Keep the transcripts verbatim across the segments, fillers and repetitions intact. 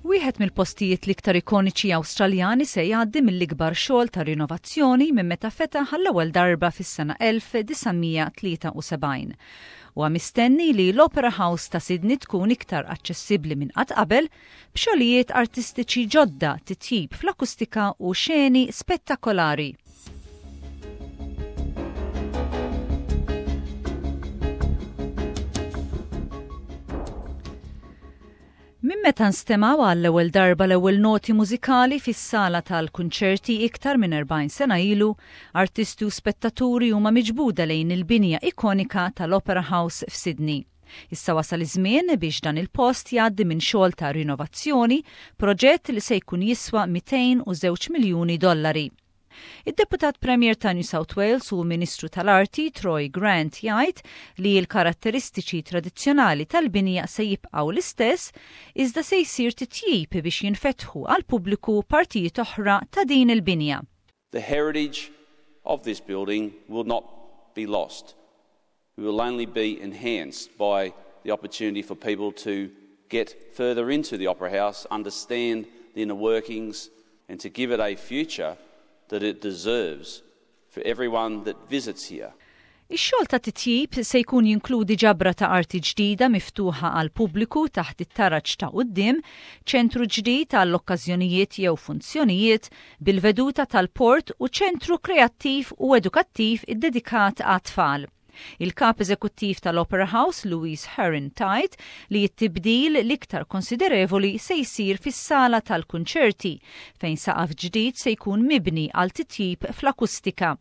Wieħed mill-postijiet l-iktar ikoniċi Awstraljani se jgħaddi mill-ikbar xogħol ta' rinnovazzjoni minn meta fetaħ għall-ewwel darba fis-sena elf disa' mija tlieta u sebgħin. Huwa mistenni li l-Opera House ta' Sydney tkun iktar aċċessibbli minn qatt qabel b'xogħlijiet artistiċi ġodda, titjib fl-akustika u xeni spettakolari. Minn meta nstemgħu għall-ewwel darba l-ewwel noti mużikali fis-sala tal-kunċerti iktar minn erbgħin sena ilu, artisti u spettaturi huma miġbuda lejn il-binja ikonika tal-Opera House f'Sydney. Issa wasal iż-żmien biex dan il-post jgħaddi minn xogħol ta' rinnovazzjoni, proġett li se jkun jiswa mitejn u żewġ miljuni dollari. Id-deputat Premier ta' New South Wales u Ministru tal-Arti Troy Grant jgħid li l-karatteristiċi tradizzjonali tal-binja se jibqgħu l-istess, iżda se jsir titjib biex jinfetħu għal pubbliku partijiet oħra ta' din il-binja. The heritage of this building will not be lost. It will only be enhanced by the opportunity for people to get further into the Opera House, understand the inner workings, and to give it a future that it deserves for everyone that visits here. Ix-xogħol ta' titjib se jkun jinkludi ġabra ta' arti ġdida miftuħa għal pubbliku taħt it-taraġ ta' quddiem, ċentru ġdid għall okkażjonijiet jew funzjonijiet bil-veduta tal-port u ċentru kreattiv u edukattiv iddedikat għat-tfal. Il-kap eżekuttiv tal-Opera House, Louise Herron, tgħid li t-tibdil l-iktar konsiderevoli se jsir fis-sala tal-kunċerti, fejn saqaf ġdid se jkun mibni għal titjib fl-akustika.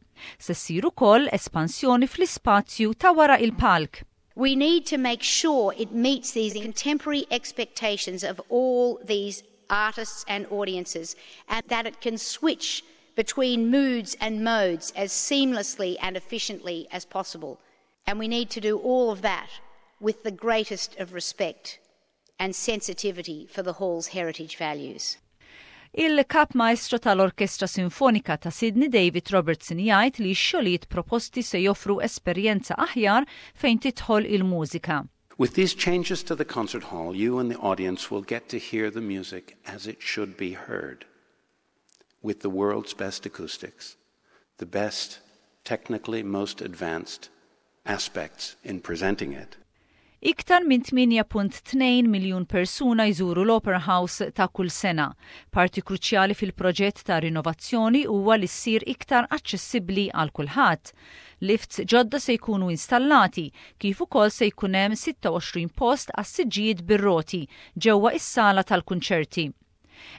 Se ssir ukoll espansjoni fl-ispazju ta' wara il-palk. We need to make sure it meets these contemporary expectations of all these artists and audiences, and that it can switch between moods and modes as seamlessly and efficiently as possible. And we need to do all of that with the greatest of respect and sensitivity for the hall's heritage values. Il-kap maestro tal-Orkestra Sinfonika ta' Sydney, David Robertson, jgħid li x-xogħlijiet proposti se joffru esperjenza aħjar fejn tidħol il-mużika. With these changes to the concert hall, you and the audience will get to hear the music as it should be heard, with the world's best acoustics, the best, technically most advanced aspects in presenting it. Iktar minn tmienja punt tnejn miljun persuna jżuru l-Opera House ta' kull sena. Parti kruċjali fil-proġett ta' rinnovazzjoni huwa li ssir iktar aċċessibbli għal kulħadd. Lifts ġodda se jkunu installati, kif ukoll se jkun hemm sitta u għoxrin post għas-siġġijiet bir-roti ġewwa is-sala tal-kunċerti.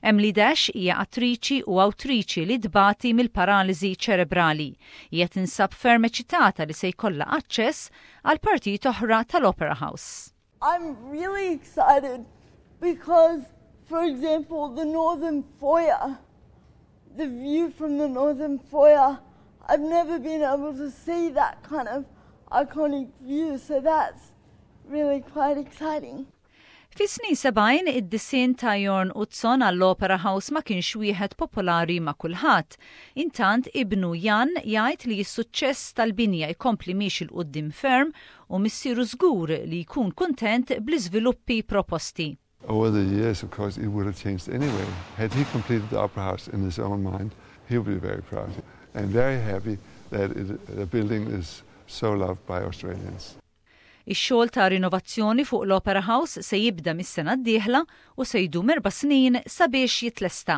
Emily Dash hija attriċi u awtriċi li tbati mill-paraliżi ċerebrali. Hija tinsab ferm eċitata li se jkollha aċċess għal partijiet oħra tal-Opera House. I'm really excited because, for example, the Northern Foyer, the view from the Northern Foyer, I've never been able to see that kind of iconic view, so that's really quite exciting. Fis-snin sebgħin, id-disinn ta' Jorn Utzon għall-Opera House ma kienx wieħed popolari ma' kulħadd. Intant, ibnu Jan jgħid li s-suċċess tal-binja jkompli miexi 'l quddiem ferm u missieru żgur li jkun kuntent bl-iżviluppi proposti. Over the years, of course, it would have changed anyway. Had he completed the Opera House in his own mind, he would be very proud and very happy that it, the building is so loved by Australians. Ix-xogħol ta' rinnovazzjoni fuq l-Opera House se jibda mis-sena d-dieħla u se jdum erba' snin sabiex jitlesta.